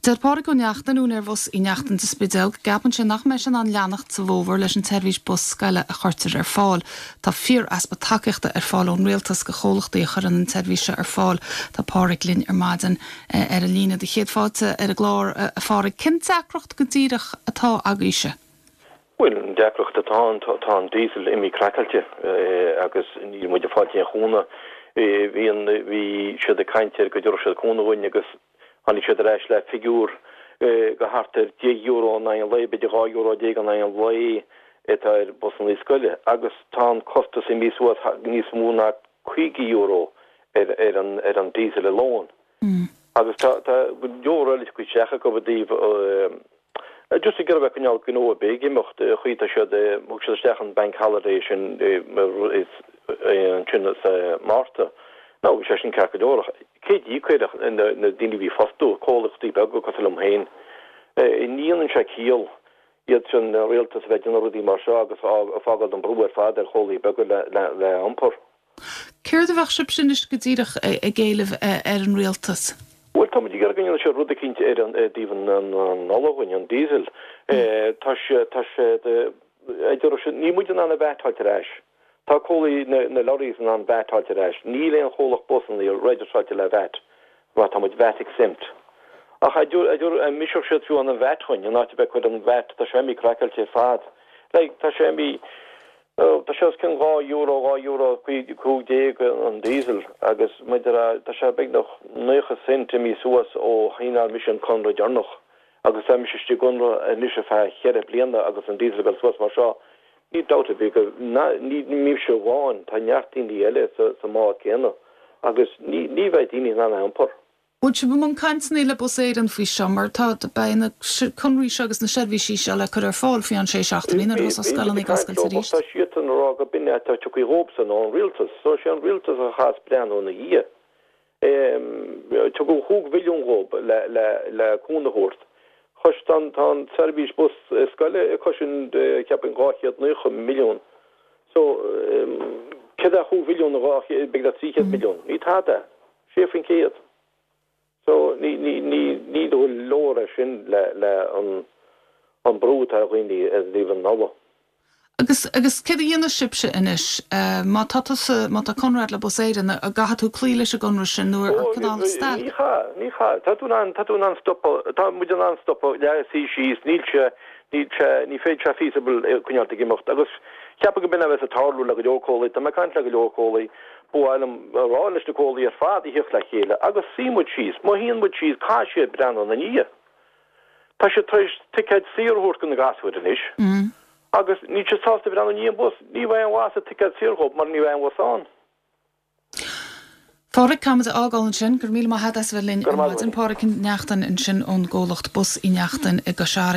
Deir Pádraig Ó Neachtain, úinéir Bhus Uí Neachtain sa Spidéal, go gceapann sé nach mbeidh sé in ann leanacht sa bhfómhar leis an tseirbhís bus scoile a chuirtear ar fáil. Tá fíor-easpa tacaíochta ar fáil ón Rialtas go chomhlachtaí a chuireann an tseirbhís seo ar fáil. Tá Pádraig linn ar maidin ar an líne. Do chéad fáilte ar an gclár, a Phádraig. Cén deacracht go díreach atá agaibhse? Bhuel, an deacracht atá ann, tá an diesel imithe craiceáilte agus níl muid ag fáilt aon chúnamh. Bhí an, bhí siad ag caint ar go dtabharfadh siad cúnamh dhúinn agus tháinig siad ar ais le figiúr go thart ar €10 in aghaidh an lae, b'fhéidir €12 in aghaidh an lae atá ar busannaí scoile agus tá an costas imithe suas níos mó ná €50 ar ar an ar an diesel alone. Agus tá tá go leor eile tagtha isteach acu i dtaobh Just ag iarraidh a bheith coinneáil gnó ar bith ag imeacht, chaoi tá siad, thug siad isteach an bank holiday sin ansin sa Márta. Now bhí sé sin ceart go leor ach cé d'íocfaidh ach na daoine a bhí ag fostú, comhlachtaí beaga cosúil liom féin. Ní dhéanann sé ciall iad sin, an rialtas a bheith ag déanamh rudaí mar seo agus ag fágáil an brú ar fad ar chomhlachtaí beaga le iompar. Céard a bheadh sibhse anois go díreach ag éileamh ar an rialtas? Bhuel, tá muid ag iarraidh go ndéanfaidh siad rud eicínt ar an, i dtaobh an ola dhúinn, an diesel. Tá sé, tá sé, a deir siad, níl muid in ann an VAT a fháilt ar ais. Tá comhlaí na, na lorries in ann VAT a fháilt ar ais. Níl aon chomhlacht busannaí registeráilte le VAT, mar tá muid VAT exempt. Ach a deir, a deir, an mbriseadh siad fiú an VAT dhúinn, in áit a bheith ag cur an VAT, tá sé imithe craiceáilte ar fad. Like, tá sé imithe, Tá sé os cionn €2, €2 15 an diesel agus maidir a, tá sé beagnach 90 cent imithe suas ó shíneáil mise an conradh deireanach agus tá mise istigh i gconradh anois ar feadh cheithre bliana agus an diesel ag dul suas mar seo. Níl dabht ar bith go, ní mise amháin, tá neart daoine eile sa mbád céanna agus ní bheidh daoine in ann a iompar. Bhfuil sibh i mbun cainteanna le Bus Éireann faoi seo mar tá, beidh na conraí seo agus na seirbhísí seo le cur ar fáil faoi cheann sé seachtainí nuair a thosós scoileanna ag oscailt arís. Tá siadsan ag rá go b'in é atá tiocfaidh dhóibhsan ón rialtas. So sé an rialtas a chaithfeas breathnú ina dhiaidh. Tugadh chúig mhilliún dhóibh le le le cúnamh a thabhairt. Chois tá an tá an tseirbhís bus scoile ag cosaint cheapfainn 290 milliún. So céard é chúig mhilliún in 200 beagnach 300 milliún. Ní tada. 6%. So, ní, ní, ní, ní leor é sin le, le an, an brú atá ar dhaoine i dtaobh an ola. Agus, agus céard a dhéanfaidh sibhse anois? Má tá tusa, má tá conradh agat le Bus Éireann, an gcaithfidh tú cloí leis an gconradh sin nó ar cineál stailc? Ní chaith, ní chaith. Tá tú in ann, tá tú in ann stopadh, tá muid in ann stopadh, le suí síos, níl sé, níl sé, ní féidir sé feasible coinneáilt ag imeacht. Agus cheapfainn go b'in a bheas ag tarlú le go leor comhlaí, tá mé ag caint le go leor comhlaí, Ba mhaith liom a rá leis na comhlaí ar fad a thíocht le chéile agus suí muid síos. Má shuíonn muid síos caithfidh siad breathnú ina ndiaidh. Tá siad tar éis ticéid saor a thabhairt do na gasúir anois agus níl siad sásta breathnú i ndiaidh an bhus. Ní bheidh aon mhaith sa ticéad saor dhóibh mar ní bheidh aon bhus ann. Phádraic, caithfimid a fhágáil ansin. Go raibh míle maith agat as a bheith linn ar maidin. Pádraic Ó Neachtain ansin ón gcomhlacht Bus Uí Neachtain i gCois Fharraige.